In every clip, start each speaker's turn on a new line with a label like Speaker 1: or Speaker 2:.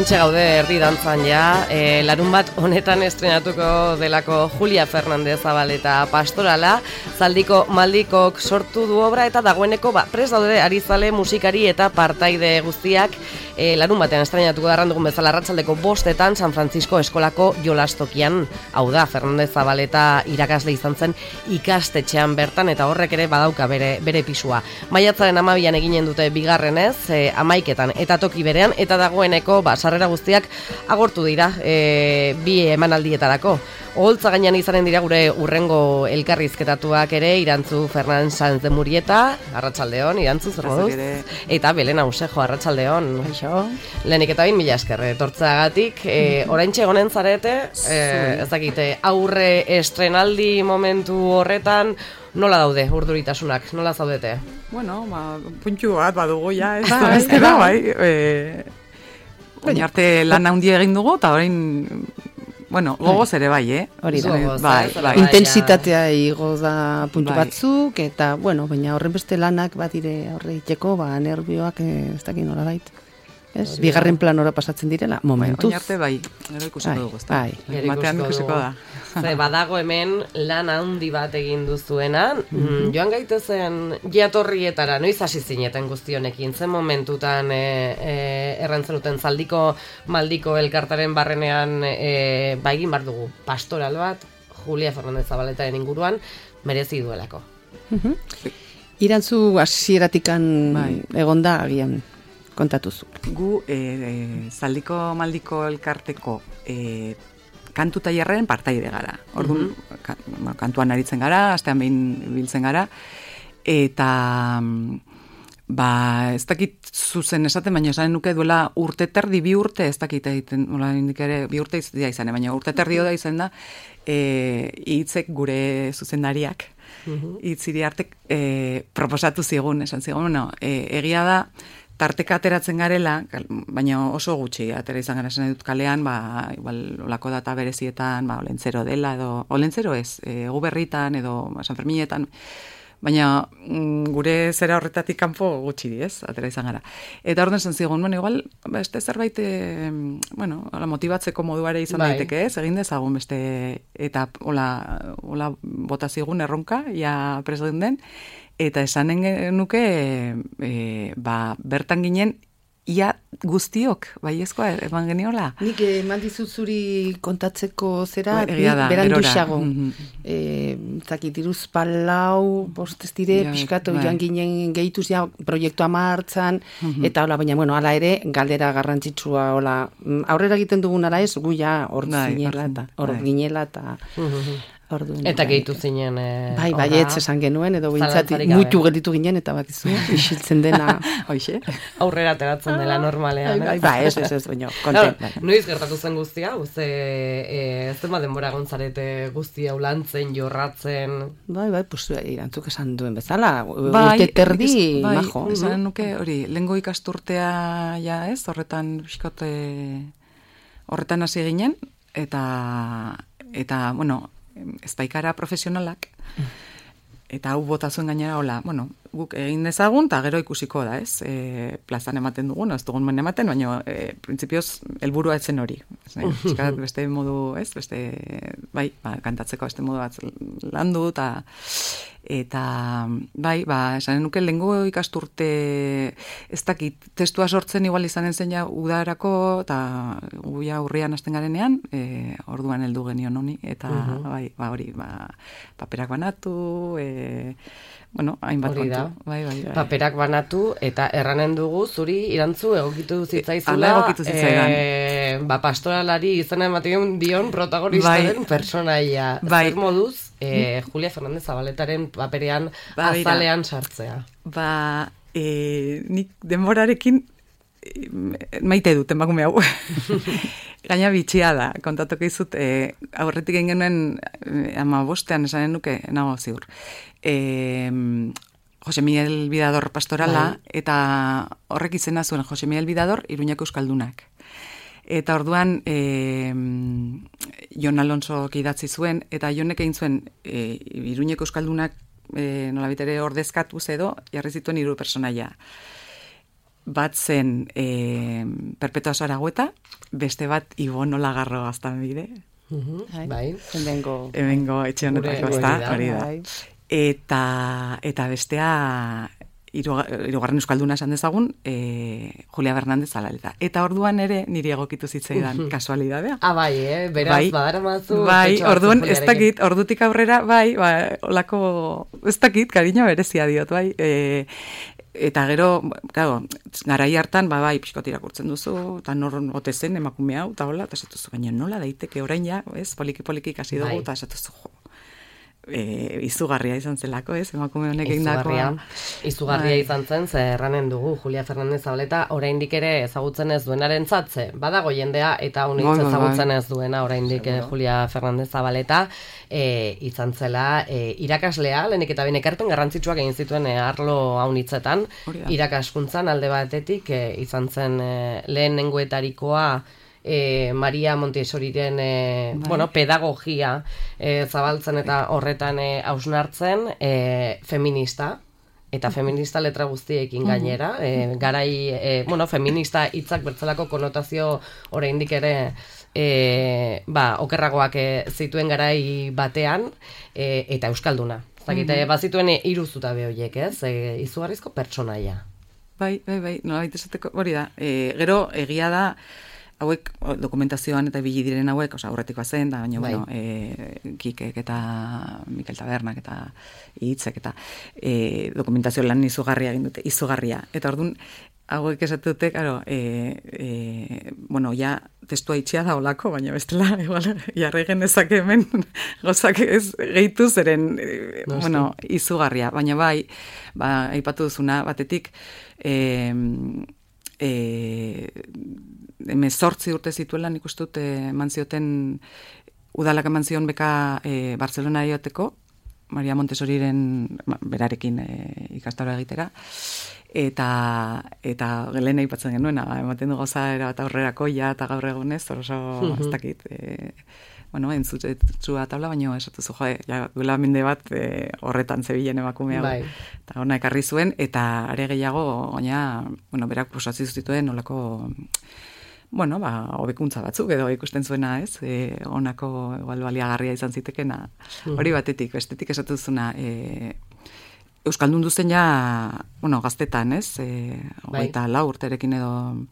Speaker 1: Hementxe gaude erdi dantzan ja, larun bat honetan estrenatuko delako Julia Fernandez Zabaleta Pastorala, Zaldiko Maldikok sortu du obra eta dagoeneko prest daude arizale musikari eta partaide guztiak larun batean estrenatuko da dugun bezala arratsaldeko 5:00 San Francisco eskolako jolastokian. Hau da, Fernandez Zabaleta irakasle izan zen ikastetxean bertan eta horrek ere badauka bere pisua. Maiatzaren 12an eginen dute bigarrenez, 11etan eta toki berean, eta dagoeneko sarrera guztiak agortu dira bi emanaldietarako. Oholtza gainean izanen dira gure urrengo elkarrizketatuak ere, Irantzu Fernan Sanz de Murieta, arratsaldeon, Irantzu, zer moduz? Eta Belén Ausejo, arratsaldeon. Lehenik eta bain, mila esker, etortzeagatik. Oraintxe egonen zarete, ez dakite, aurre estrenaldi momentu horretan, nola daude urduritasunak, nola zaudete?
Speaker 2: Bueno, puntxu bat badugu ja, ez da, bai. Baina arte lan handia egin dugu, eta orain, bueno, gogoz ere bai,
Speaker 3: Hori da,
Speaker 2: bai.
Speaker 3: Intensitatea igo da puntu batzuk, eta, bueno, baina horren beste lanak badire horre iteko, nervioak ez dakit nola bait. Bigarren planora pasatzen direla, momentuz.
Speaker 2: Baina arte bai, gero ikusiko dugu, ez da. Batean ikusiko da.
Speaker 1: Badago hemen lan handi bat egin duzuena, joan gaitezen jatorrietara, noiz hasi zineten guztionekin, zen momentutan errantzenuten Zaldiko Maldiko elkartaren barrenean egin bar dugu pastoral bat, Julia Fernandez Zabaletaren inguruan, merezi duelako.
Speaker 3: Irantzu hasieratikan egonda agian kontatuzu.
Speaker 2: Gu Zaldiko Maldiko elkarteko kantu tailerren partaide gara. Orduan, kantuan aritzen gara, astean behin biltzen gara, eta ez dakit zuzen esaten, baina esaten nuke duela urte terdi, 2 urte, ez dakit egiten, ere 2 urte izan, baina urte terdi da izan da, hitzek gure zuzendariak, hitziri artek proposatu zigun, esan zigun, egia da, tarteka ateratzen garela, baina oso gutxi atera izan gara esan dut kalean, igual olako data berezietan, olentzero dela, edo olentzero ez, Guberritan edo San Ferminetan, baina gure zera horretatik kanpo gutxi di, ez, atera izan gara. Eta orden esan zigun, igual, beste zerbait, motibatzeko moduare izan daiteke, ez, egin dezagun beste, eta hola bota zigun erronka, ja presden den, eta esanen nuke bertan ginen ia guztiok, baiezkoa eman geniola.
Speaker 3: Nik eman dizut zuri kontatzeko zera, berandu xago. Zakit, iruz palau, bostez dire, pixkatu joan ginen gehituz ja proiektua martzan, eta hola, baina, bueno, ala ere, galdera garrantzitsua, hola, aurrera egiten dugun ala ez, gu ja hor ginela eta...
Speaker 1: Eta gehitu zinen...
Speaker 3: Baietz esan genuen, edo bintzat muitu gelditu ginen, eta bakizu, isiltzen dena...
Speaker 1: Aurrera ateratzen dela normalean.
Speaker 3: Ez, baina, konten.
Speaker 1: Noiz gertatu zen guztia, zema denbora gontzarete guztia ulantzen, jorratzen...
Speaker 3: Pues Irantzuk esan duen bezala, urte terdi, majo.
Speaker 2: Esan nuke, hori, lehengo ikasturtea, ja ez, horretan hasi ginen, eta, bueno, ez baikara profesionalak, eta hau bota zuen gainera, hola, bueno, guk egin dezagun, eta gero ikusiko da, ez? Plazan ematen dugun, ez dugun men ematen, baina printzipioz helburua etzen hori. Eskarat beste modu, ez? Kantatzeko beste modu bat landu, eta esanen nuke lehengo ikasturte ez dakit, testua sortzen igual izanen zen ja udarako, eta guia urrian hasten garenean, orduan heldu genion honi, eta hori, paperak banatu, bueno, hainbat kontu.
Speaker 1: Paperak banatu, eta erranen dugu, zuri Irantzu egokitu zitzaizula, pastoralari izena ematen dion protagonistaren personaia. Zer moduz, Julia Fernandez Zabaletaren paperean azalean sartzea.
Speaker 2: Nik denborarekin maite dut, emakume hau. Gaina bitxia da, kontatuko izut, aurretik egin genuen 15ean esanen nuke, nago ziur. Jose Miguel Bidador pastorala, eta horrek izena zuen Jose Miguel Bidador, Iruñako Euskaldunak. Eta orduan Jon Alonso idatzi zuen, eta Jonek egin zuen Iruñeko Euskaldunak nolabitere ordezkatuz edo, jarri zituen 3 personaia. bat zen Perpetua Zaragoeta, beste bat Ibon Olagarro Gaztanbide.
Speaker 1: Bai.
Speaker 2: Hemengo etxe honetako, hori da. Eta bestea hirugarren euskalduna esan dezagun, Julia Fernandez Zabaleta. Eta orduan ere niri egokitu zitzaidan kasualidadea.
Speaker 1: Bai, beraz, badaramazu.
Speaker 2: Bai, orduan, ez dakit, ordutik aurrera, bai, olako, ez dakit, kariño berezia diot, bai. Eta gero, claro, garai hartan, bai, pixkot irakurtzen duzu, eta norron ote zen emakume hau, eta hola, eta esatuzu, baina nola daiteke orain ja, ez, poliki kasi dugu, eta esatuzu, jo, izugarria izan zelako, ez, emakume honek egindakoa.
Speaker 1: Izugarria izan zen, ze erranen dugu, Julia Fernandez Zabaleta, oraindik ere ezagutzen ez duenaren zatze, badago jendea, eta honitz ezagutzen ez duena, oraindik Julia Fernandez Zabaleta, izan zela irakaslea, lehenik eta behin ekarpen garrantzitsuak egin zituen arlo haunitzetan, irakaskuntzan alde batetik, izan zen lehenengoetarikoa, Maria Montessoriren pedagogia zabaltzen eta horretan hausnartzen, feminista, eta feminista letra guztiekin gainera, garai, feminista hitzak bertzelako konotazio oraindik ere okerragoak zituen garai batean, eta euskalduna. Zakite, bazituen 3 zutabe horiek, ez? Izugarrizko pertsonaia.
Speaker 2: Bai, nolabait esateko, hori da. Gero, egia da, hauek dokumentazioan eta ibili diren hauek, aurretikoa zen, da, baina, bueno, Kikek eta Mikel Tabernak eta Hitzek eta dokumentazio lan izugarria egin dute, izugarria. Eta orduan, hauek esatu dute, karo, ja, testua itxia da olako, baina bestela, igual, jarri genezake hemen, gozak ez gehitu zeren, izugarria. Baina bai, aipatu duzuna, batetik, 18 urte zituela, nik uste dut eman zioten udalak eman zion beka Barcelona ioteko, Maria Montessoriren berarekin ikastaro egitera, eta lehen aipatzen genuena, ematen du goza erabat aurrerako ja eta gaur egunez, oso ez dakit, entzutxua tabla, baina esatuzu, duela mende bat horretan zebilen emakume hau. Eta hona ekarri zuen, eta are gehiago, berak posatzi zuzituen nolako, hobekuntza batzuk edo ikusten zuena, ez? Honako baliagarria izan zitekena. Hori batetik, bestetik esatuzuna, euskaldun duzen ja, gaztetan, ez? 24 urterekin edo,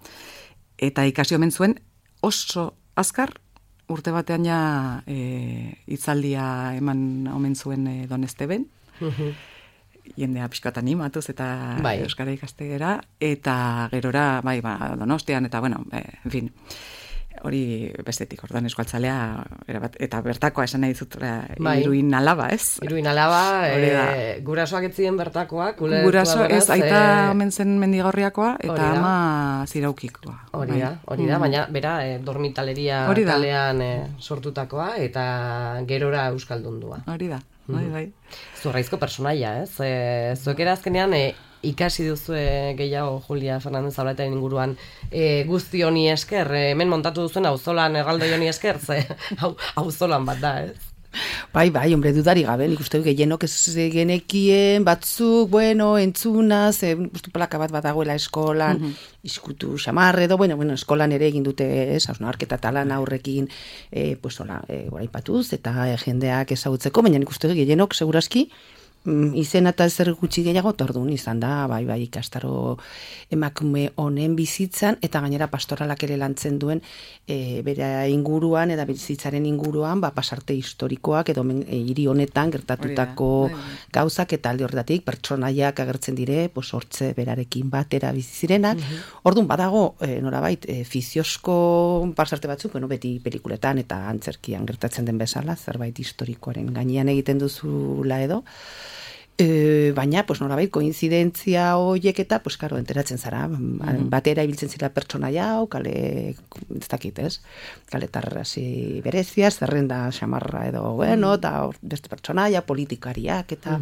Speaker 2: eta ikasi omen zuen oso azkar, urte batean ja hitzaldia eman omen zuen Don Esteben, jendea pixkat animatuz eta euskara ikastegera, eta gerora, Donostian, eta, en fin, hori bestetik, orduan euskaltzalea, eta bertakoa esan nahi dizut, Iruin Alaba, ez?
Speaker 1: Iruin Alaba, gurasoak etzien bertakoak,
Speaker 2: guraso, ez, aita omen zen Mendigorriakoa, eta ama Ziraukikoa.
Speaker 1: Hori da, baina, bera, dormitaleria kalean sortutakoa, eta gerora euskaldundua.
Speaker 2: Hori da, bai.
Speaker 1: Zurraizko personaia, ez? Zuek azkenean ikasi duzu gehiago Julia Fernandez Zabaletaren inguruan guzti honi esker, hemen montatu duzuen auzolan erraldoi honi esker, auzolan bat da, ez?
Speaker 3: Bai, hombre, dudari gabe, nik uste gehienok ez genekien, batzuk, entzunaz, uste plaka bat dagoela eskolan, iskutu xamarre edo, eskolan ere egin dute, hausnarketa talan aurrekin, goraipatuz, eta jendeak ezagutzeko, baina nik uste gehienok, seguraski, izen eta zer gutxi gehiago tordun izan da, bai, ikastaro emakume honen bizitzan, eta gainera pastoralak ere lantzen duen bere inguruan, eta bizitzaren inguruan, pasarte historikoak, edo hiri honetan gertatutako gauzak, eta alde horretatik pertsonaiak agertzen dire, hortze berarekin batera bizizirenak. Orduan, badago, norabait, fiziozko pasarte batzuk, beti pelikuletan eta antzerkian gertatzen den bezala, zerbait historikoaren gainean egiten duzula edo, baina, norabait, koinzidentzia horiek eta, karo, enteratzen zara, batera ibiltzen zira pertsonaia hau, kale, ez dakit, ez? Kaletarrasi berezia, zerrenda xamarra edo, eta beste pertsonaia, politikariak, eta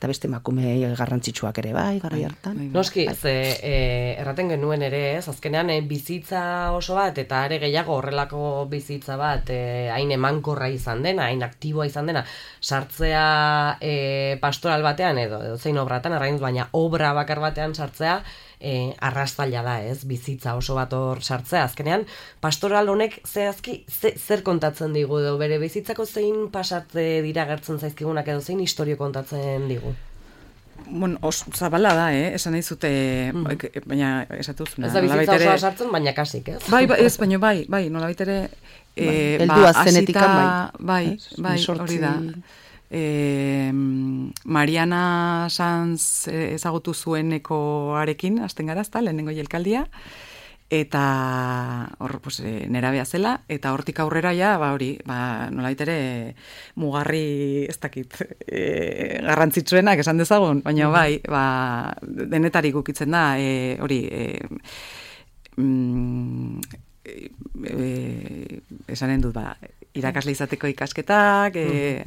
Speaker 3: beste emakume garrantzitsuak ere bai, gara hartan.
Speaker 1: Noski, erraten genuen ere, ez? Azkenean, bizitza oso bat, eta are gehiago horrelako bizitza bat, hain emankorra izan dena, hain aktiboa izan dena, sartzea pastoral batean edo zein obratan arrain, baina obra bakar batean sartzea arrastaila da, ez? Bizitza oso bat hor sartzea. Azkenean, pastoral honek zehazki zer kontatzen digu edo bere bizitzako zein pasatze dira gertzen zaizkigunak edo zein istorio kontatzen digu?
Speaker 2: Bueno, zabala da, esan nahi zute, baina esatu zuna.
Speaker 1: Ez da bizitza osoa sartzen, baina kasik, ez?
Speaker 2: Bai, nolabait ere,
Speaker 3: heldua zenetikan,
Speaker 2: bai, hori da. Mariana Sanz ezagutu zuenekoarekin, hasten gara, ezta, lehenengo jelkaldia, eta hor, nerabea zela, eta hortik aurrera ja, nolabait ere mugarri, ez dakit, garrantzitsuenak esan dezagun, baina bai, denetarik ukitzen da, hori, esanen dut, irakasle izateko ikasketak,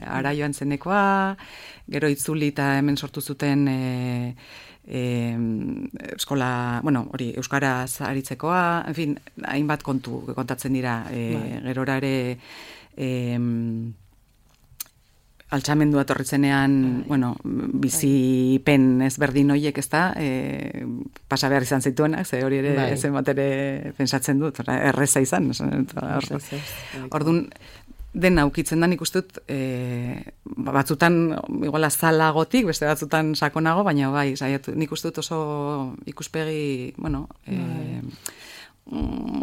Speaker 2: ara joan zenekoa, gero itzuli eta hemen sortu zuten eskola, hori, euskaraz aritzekoa, en fin, hainbat kontu kontatzen dira, gerora ere altxamendua torritzenean, bizipen ezberdin hoiek, ez da, pasa behar izan zituenak, ze hori ere ezen bat ere pensatzen dut, erreza izan. Orduan, den aukitzen da nik uste dut, batzutan, igual azalagotik, beste batzutan sakonago, baina bai, nik uste dut oso ikuspegi,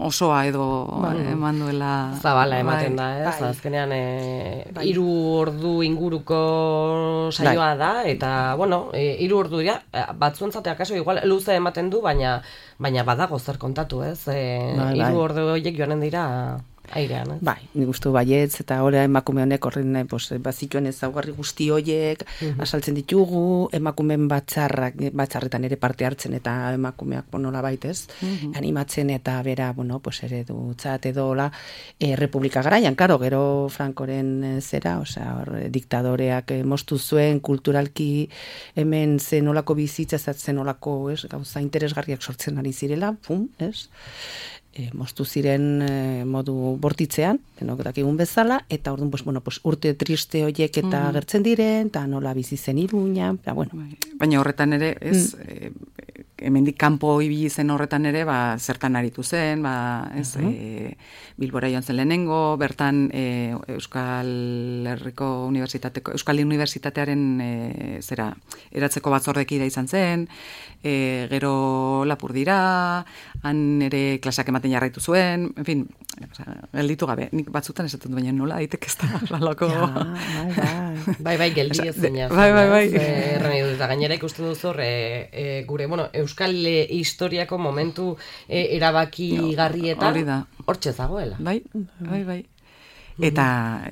Speaker 2: osoa edo eman duela
Speaker 1: zabala ematen da, ez? Azkenean 3 ordu inguruko saioa da, eta 3 ordu dira, batzuentzat akaso igual luze ematen du, baina badago zer kontatu, ez? 3 ordu horiek joanen dira airean, ez?
Speaker 3: Bai, nik uste baietz, eta ora emakume honek horren bazituen ezaugarri guzti horiek asaltzen ditugu, emakumeen batzarretan ere parte hartzen eta emakumeak nola baitez, animatzen eta bera, ere dutzat edo Republika garaian, karo, gero Frankoren zera, diktadoreak moztu zuen, kulturalki hemen zenolako bizitza, zenolako gauza interesgarriak sortzen ari zirela, ez? Moztu ziren modu bortitzean, denok dakigun bezala, eta orduan, urte triste horiek eta gertzen diren, eta nola bizi zen Iruña,
Speaker 2: baina horretan ere, ez, hemendik kanpo ibili zen horretan ere, zertan aritu zen, Bilbora joan zen lehenengo, bertan Euskal Unibertsitatearen eratzeko batzordekida izan zen, gero Lapurdira, han ere klasak ematen jarraitu zuen, en fin, gelditu gabe, nik batzutan esaten baina nola daitek ez da lalako.
Speaker 1: Bai, geldi ez zena.
Speaker 2: Bai.
Speaker 1: Eta gainera ikusten duzu gure, Euskal historiako momentu erabaki garrietan hortxe zagoela.
Speaker 2: Bai. Eta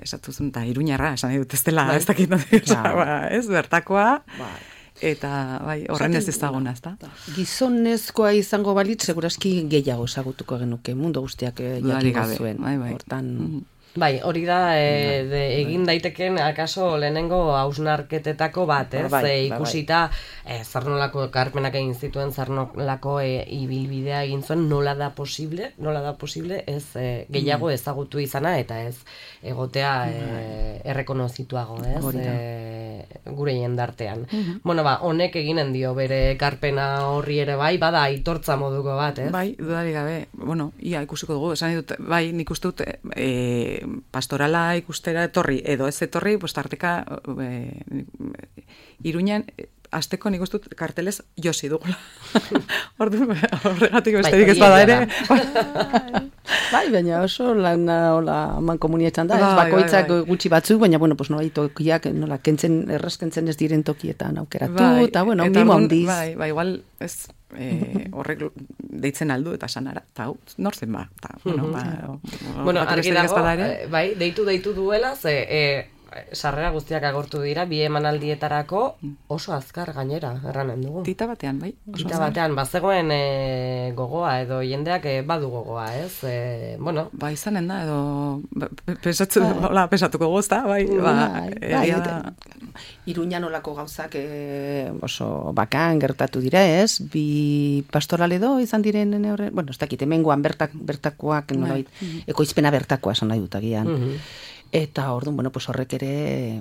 Speaker 2: esatu zuen, eta Iruñarra, esan dut ez dela, ez dakit, ez bertakoa, eta horren ez ezaguna, ez da?
Speaker 3: Gizonezkoa izango balitz, seguraski gehiago ezagutuko genuke, mundu guztiak jakingo zuen. Hortan...
Speaker 1: Bai, hori da egin daiteken akaso lehenengo hausnarketetako bat, ez? Ikusita zer nolako ekarpenak egin zituen, zer nolako ibilbidea egin zuen, nola da posible, ez gehiago ezagutu izana eta ez egotea errekonozituago, ez? Gure jendartean. Honek eginen dio bere ekarpena horri ere bada aitortza moduko bat, ez?
Speaker 2: Bai, dudarik gabe. Ia ikusiko dugu, esan dut, nik uste dut pastorala ikustera etorri, edo ez etorri, tarteka Iruñan, azteko nik uste dut kartelez josi dugula. Horregatik besterik ez bada ere.
Speaker 3: Bai, baina oso lan man komunietan da, bakoitzak gutxi batzuk, baina, nola tokiak, nola errazkentzen ez diren tokietan aukeratu, eta, mimo handiz.
Speaker 2: Bai, igual, ez, horrek deitzen aldu eta sanara, eta nor zen ba.
Speaker 1: Argi dago, bai, deitu duela, sarrera guztiak agortu dira, bi emanaldietarako oso azkar gainera, erranen dugu.
Speaker 2: Tita batean, bai.
Speaker 1: Tita batean, bazegoen gogoa, edo jendeak badu gogoa, ez?
Speaker 2: Ba, izanen da, edo pesatuko gozta, bai.
Speaker 3: Iruñan olako gauzak oso bakan gertatu dira, ez? Bi pastoral edo izan diren horre, ez dakit, hemengoan bertakoak, ekoizpena bertakoa esan nahi dut agian. Eta orduan, horrek ere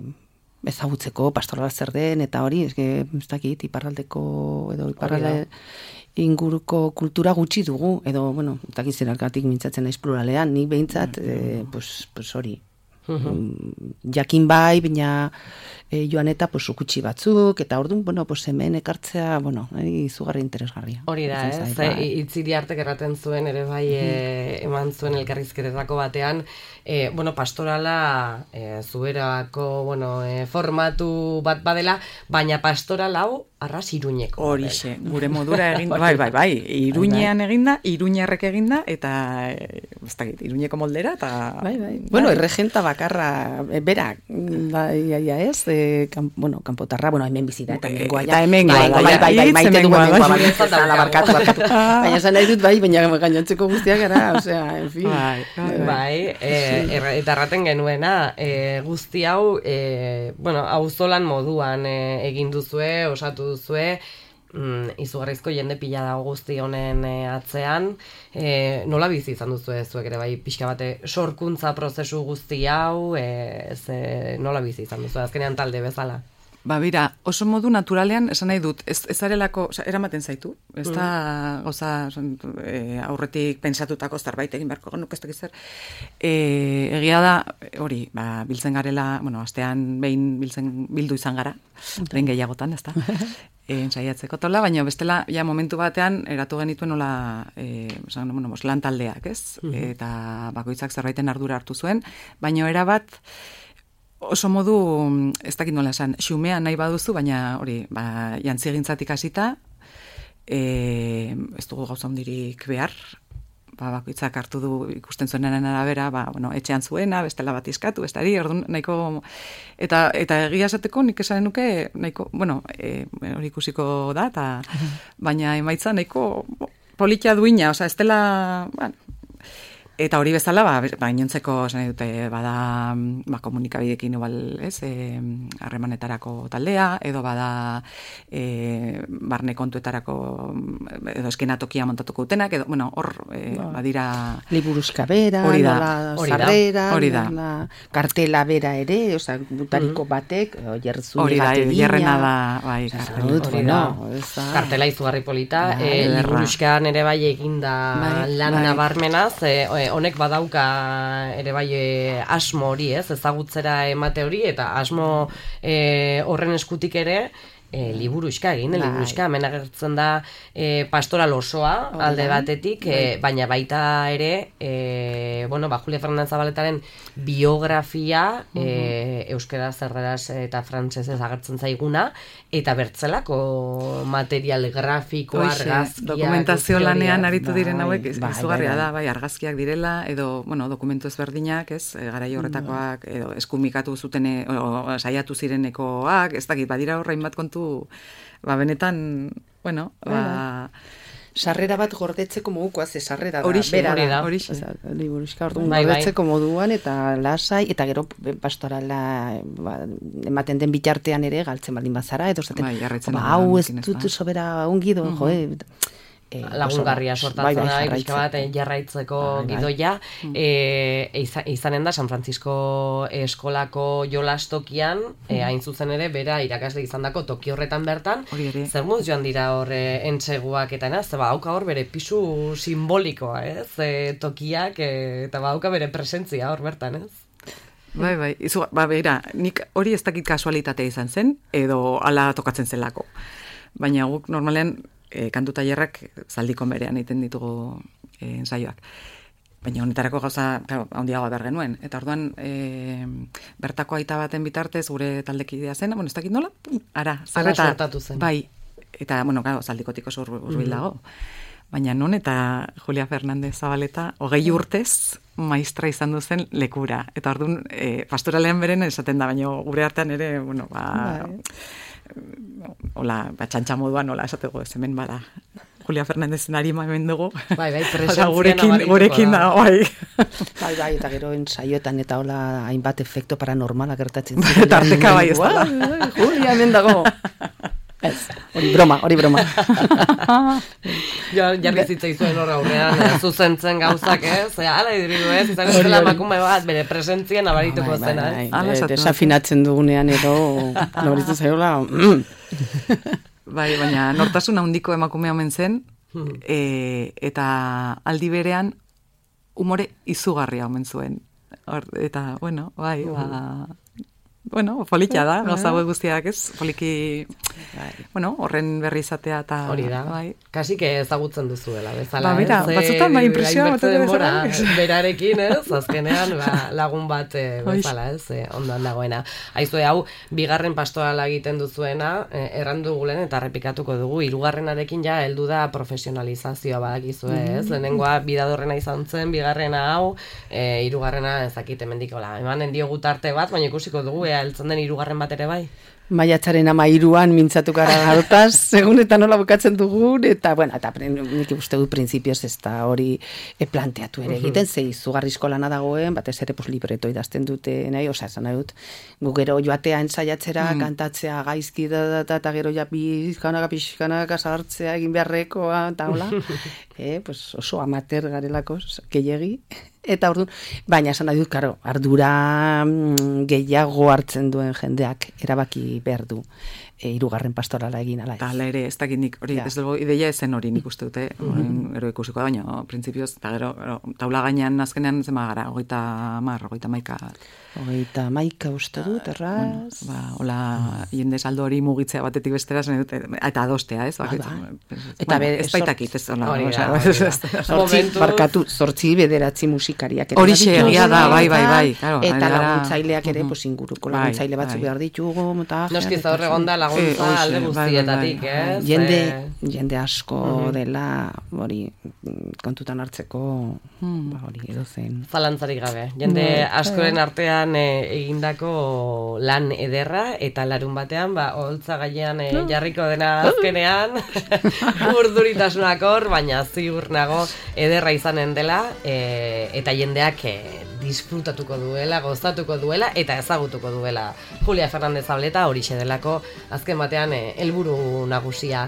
Speaker 3: ezagutzeko pastorala zer den, eta hori, ez dakit, iparraldeko, edo iparralde inguruko kultura gutxi dugu, edo, bueno, ez dakit zerarkatik mintzatzen naiz pluralean, nik behintzat, pues hori, jakin bai, baina joan eta ukutsi batzuk, eta orduan, hemen ekartzea, izugarri interesgarria.
Speaker 1: Hori da, Itziri Artek erraten zuen, ere bai eman zuen elkarrizketetako batean, pastorala zuberako, formatu bat badela, baina pastoral hau arras Iruñeko.
Speaker 2: Horixe, gure modura eginda, bai, Iruñean eginda, Iruñarrek eginda, eta, ez dakit, Iruñeko moldera, eta...
Speaker 3: Bai. Erregenta bakarra, berak, ez, kanpotarra, hemen bizita, eta hemengoa, baina esan nahi dut, baina gainontzeko guztiak gara, osea, en fin.
Speaker 1: Eta erraten genuena, guzti hau, auzolan moduan egin duzue, osatu duzue, izugarrizko jende pila dago guzti honen atzean, nola bizi izan duzue zuek ere bai pixka bate sorkuntza prozesu guzti hau, nola bizi izan duzue, azkenean talde bezala?
Speaker 2: Bira, oso modu naturalean esan nahi dut, ez zarelako, eramaten zaitu, ez da goza aurretik pensatutako zerbait egin beharko genuk ez dakiz zer. Egia da, hori, biltzen garela, astean behin bildu izan gara, behin gehiagotan, ez da, ensaiatzeko tola, baina bestela, momentu batean, eratu genituen nola, lan taldeak, ez? Eta bakoitzak zerbaiten ardura hartu zuen, baina erabat, oso modu, ez dakit nola esan, xumea nahi baduzu, baina hori, jantzigintzatik hasita, ez dugu gauza hondirik behar, bakoitzak hartu du ikusten zuenaren arabera, etxean zuena, bestela bat iskatu, bestari, orduan nahiko, eta egia esateko nik esan nuke, nahiko, hori ikusiko da, baina emaitza nahiko politia duina, ez dela, eta hori bezala, gainontzeko esan dute bada komunikabidekin igual, ez, harremanetarako taldea, edo bada barne kontuetarako edo eskenatokia montatuko dutenak, edo, hor badira...
Speaker 3: Liburuska bera, sarrera, kartela bera ere, oza, butariko batek, jertzune bat edina.
Speaker 2: Jerrena da,
Speaker 1: kartela izugarri polita, liburuskan ere bai eginda lan nabarmenaz, honek badauka ere bai asmo hori, ezagutzera emate hori, eta asmo horren eskutik ere liburuxka egin, liburuxka hemen agertzen da pastoral osoa alde batetik, baina baita ere Julia Fernandez Zabaletaren biografia euskaraz, erderaz eta frantsesez agertzen zaiguna, eta bertzelako material grafiko, argazkiak,
Speaker 2: dokumentazio lanean aritu diren hauek izugarria da, argazkiak direla, edo dokumentu ezberdinak, garai horretakoak, edo eskumikatu zuten saiatu zirenekoak, ez dakit, badira horrein bat kontu, benetan,
Speaker 3: sarrera bat gordetzeko modukoa, sarrera da,
Speaker 2: horixe.
Speaker 3: Liburuxka orduan gordetzeko moduan, eta lasai, eta gero pastorala ematen den bitartean ere, galtzen baldin bazara, edo hau ez dut sobera ungido,
Speaker 1: lagungarria sortatzen da, pixka bat jarraitzeko gidoia, izanen da San Francisco eskolako jolastokian, hain zuzen ere, bera irakasle izandako toki horretan bertan, zer muz joan dira hor entseguak eta hauka hor bere pisu simbolikoa, tokiak, eta hauka bere presentzia hor bertan,
Speaker 2: Bera, nik hori ez dakit kasualitatea izan zen, edo ala tokatzen zelako. Baina guk normalean kantu tailerrak Zaldikon berean egiten ditugu ensaioak. Baina honetarako gauza handiagoa behar genuen. Eta orduan, bertako aita baten bitartez gure taldekidea zen, ez dakit nola,
Speaker 1: sortatu zen.
Speaker 2: Bai, eta, Zaldikotik oso urbil dago. Baina non eta Julia Fernandez Zabaleta 20 urtez maistra izan duzen lekura. Eta orduan, pastoralean beren esaten da, baina gure artean ere, hola, txantxa moduan, hola, esatego ez hemen bada Julia Fernandezen arima hemen dugu. Gurekin da,
Speaker 3: Bai, eta gero ensaioetan eta hola hainbat efekto paranormala gertatzen.
Speaker 2: Tarteka bai ez da.
Speaker 3: Julia hemen dago. Hori broma.
Speaker 1: Jarri zitzaizuen horra aurrean, zuzentzen gauzak, ala iduridu ez, izan ez dela emakume bat, bere presentzien abarituko zena,
Speaker 3: desafinatzen dugunean edo, nabaritu zaiola,
Speaker 2: Bai, baina nortasun handiko emakume omen zen, eta aldi berean umore izugarria omen zuen. Eta, bueno, bai, polikia da, gauza guztiak ez, poliki, horren berri izatea eta...
Speaker 1: Hori da, kasik ezagutzen duzuela, bezala,
Speaker 2: ez? Mira, batzutan, impresioa batean
Speaker 1: bezala. Berarekin, ez, azkenean, lagun bat bezala, ez, ondan dagoena. Aizue, hau, bigarren pastorala egiten duzuena, errandu gulen eta repikatuko dugu, hirugarrenarekin ja heldu da profesionalizazioa badakizue, ez? Lehenengoa bidadorrena izan zen, bigarrena hau, hirugarrena ezakit emendikola. Emanen diogu tarte bat, baina ikusiko dugu, heltzen den hirugarren bat ere bai?
Speaker 3: Maiatzaren 13an mintzatu gara hartaz, segun eta nola bukatzen dugun, eta, nik uste dut printzipioz ez da hori planteatu ere egiten, ze izugarrizko lana dagoen, batez ere libreto idazten dute nahi, esan nahi dut, gu gero joatea ensaiatzera, kantatzea gaizki eta gero ja pixkanaka zahartzea egin beharrekoa, eta hola, oso amater garelako, gehiegi. Eta orduan, baina esan nahi dut, ardura gehiago hartzen duen jendeak erabaki behar du hirugarren pastorala egin ala ez.
Speaker 2: Eta ere, ez dakit nik, hori, ez dugu, ideia ezen hori nik uste dute, ero ikusiko da, baina, printzipioz, eta gero, taula gainean azkenean zema gara,
Speaker 3: 30 uste dut, erraz.
Speaker 2: Hola, jende saldo hori mugitzea batetik bestera, eta adostea, ez?
Speaker 3: Eta
Speaker 2: ez baitakit, ez hola.
Speaker 3: Zortzi bederatzi musikariak.
Speaker 2: Hori egia da, bai.
Speaker 3: Eta laguntzaileak ere, inguruko laguntzaile batzuk behar ditugu.
Speaker 1: Noski zaur egon da laguntza alde guztietatik, ez?
Speaker 3: Jende asko dela, hori, kontutan hartzeko, hori, edo zen.
Speaker 1: Zalantzarik gabe. Jende askoren artean egindako lan ederra, eta larun batean, holtza gainean jarriko dena azkenean, urduritasunak hor, baina ziur nago ederra izanen dela, eta jendeak disfrutatuko duela, gozatuko duela, eta ezagutuko duela. Julia Fernandez Zabaleta horixe delako, azken batean helburu nagusia.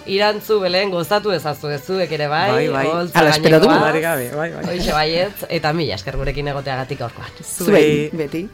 Speaker 1: Irantzu, Belen, gozatu ezazue zuek ere bai.
Speaker 3: Ala, espero dugu.
Speaker 1: Hoixe baietz, eta mila esker gurekin egoteagatik aurkoan.
Speaker 3: Zuei, beti.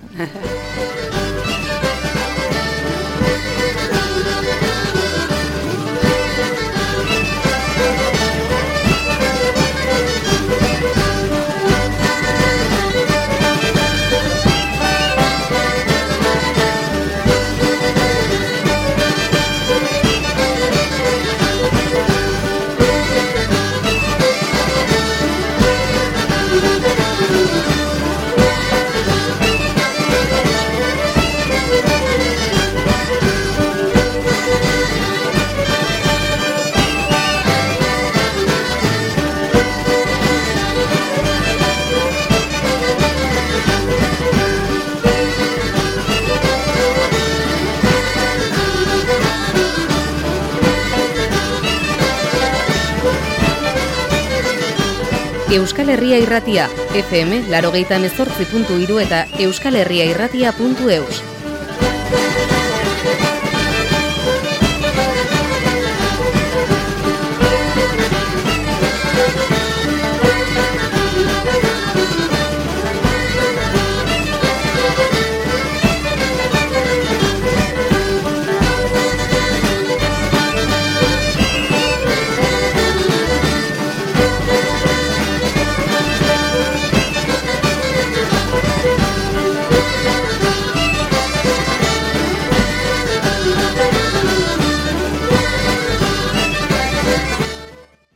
Speaker 4: Euskal Herria Irratia, FM 88.3 eta euskalherriairratia.eus.